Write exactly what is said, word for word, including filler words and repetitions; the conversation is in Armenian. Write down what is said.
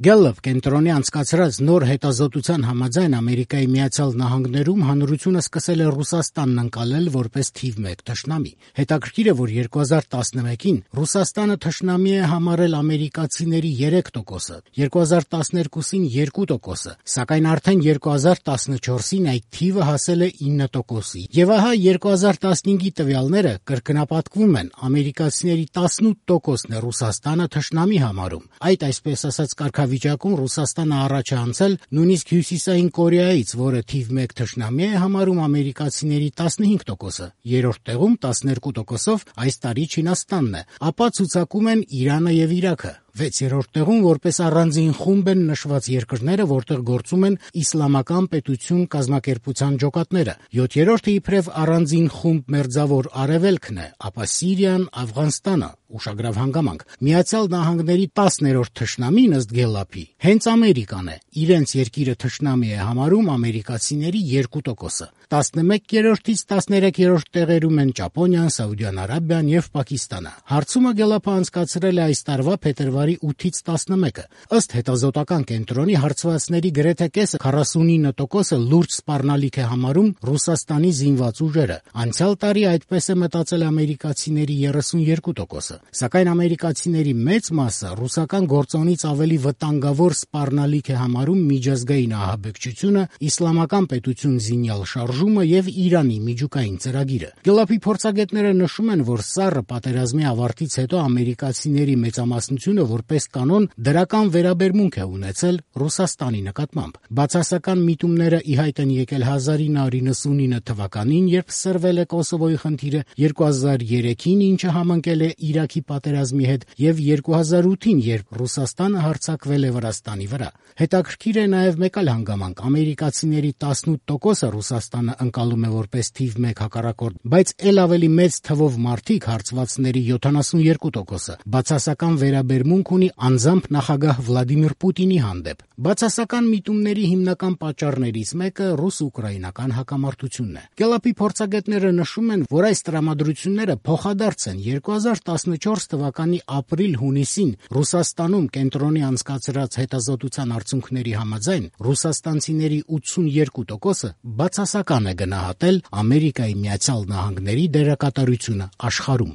Gallup կենտրոնի անցկացրած նոր հետազոտության համաձայն Ամերիկայի Միացյալ Նահանգներում հանրությունը սկսել է Ռուսաստանն ընկալել որպես թիվ մեկ թշնամի։ Հետաքրքիր է, որ երկու հազար տասնմեկին Ռուսաստանը թշնամի է համարել ամերիկացիների երեք տոկոսը, երկու հազար տասներկուսին երկու տոկոսը, սակայն արդեն երկու հազար տասնչորսին այդ թիվը հասել է ինը տոկոսի։ Եվ ահա երկու հազար տասնհինգի տվյալները կրկնապատկվում են, ամերիկացիների տասնութ տոկոսն է Ռուսաստանը թշնամի համարում։ Այդ այսպես ասած կարգավիճակում Ռուսաստանը առաջ է անցել նույնիսկ Հյուսիսային Կորեայից, որը թիվ մեկ թշնամի է համարում ամերիկացիների տասնհինգ տոկոսը, երրորդ տեղում տասներկու տոկոսով այս տարի Չինաստանն է, ապա ցուցակում են Իրանը եւ Իրաքը։ վեցերորդ տեղում որպես առանձին խումբ են նշված երկրները, որտեղ գործում են իսլամական պետություն կազմակերպության ջոկատները։ յոթերորդը իբրև առանձին խումբ մերձավոր Արևելքն է, ապա Սիրիան, Աֆղանստանը, ուշագրավ հանգամանք։ Միացյալ Նահանգների տասներորդ թշնամին ըստ Գելլափի հենց Ամերիկան է, իրենց երկիրը թշնամի է համարում ամերիկացիների երկու տոկոսը։ տասնմեկերորդից տասներեքերորդ տեղերում են Ճապոնիան, Սաուդյան Արաբիան եւ Պակիստանը։ Հարցումը Գելլափը անցկացրել է այս տարվա փետրվարի ութից տասնմեկը։ Ըստ հետազոտական կենտրոնի հարցվածների գրեթե կեսը քառասունինը տոկոսը լուրջ սպառնալիք է համարում Ռուսաստանի զինված ուժերը։ Անցյալ տարի այդպես է մտածել ամերիկացիների երեսունյերկու տոկոսը։ Սակայն ամերիկացիների մեծ մասը ռուսական գործոնից ավելի վտանգավոր սպառնալիք է համարում միջազգային ահաբեկչությունը, իսլամական պետություն զինյալ շարժումը եւ Իրանի միջուկային ծրագիրը։ Գելլափի փորձագետները նշում են, որ սառը պատերազմի ավարտից հետո ամերիկացիների մեծամասնությունը որպես կանոն դրական վերաբերմունք է ունեցել Ռուսաստանի նկատմամբ։ Բացասական միտումները ի հայտ են եկել հազար ինը հարյուր նվաթ թվականին, երբ սրվել է Կոսովոյի խնդիրը, երկու հազար երեքին, ինչը համընկել է Իրաքի պատերազմի հետ, եւ երկու հազար ութին, երբ Ռուսաստանը հարձակվել է Վրաստանի վրա։ Հետաքրքիր է նաեւ մեկ այլ հանգամանք. ամերիկացիների տասնութ տոկոսը Ռուսաստանը ընկալում է որպես թիվ մեկ հակառակորդ, բայց ել ավելի մեծ թվով մարդիկ, հարցվածների յոթանասունյերկու տոկոսը, բացասական վերաբերմունք ունի անձամբ նախագահ Վլադիմիր Պուտինի հանդեպ։ Բացասական միտումների հիմնական պատճառներից մեկը ռուս-ուկրաինական հակամարտությունն է։ Գելլափի փորձագետները նշում են, որ այս տրամադրությունները փոխադարձ են։ երկու հազար տասնչորս թվականի ապրիլ-հունիսին Ռուսաստանում կենտրոնի անցկացրած հետազոտության արդյունքների համաձայն ռուսաստանցիների ութսունյերկու տոկոսը բացասական է գնահատել Ամերիկայի Միացյալ Նահանգների դերակատարությունը աշխարհում։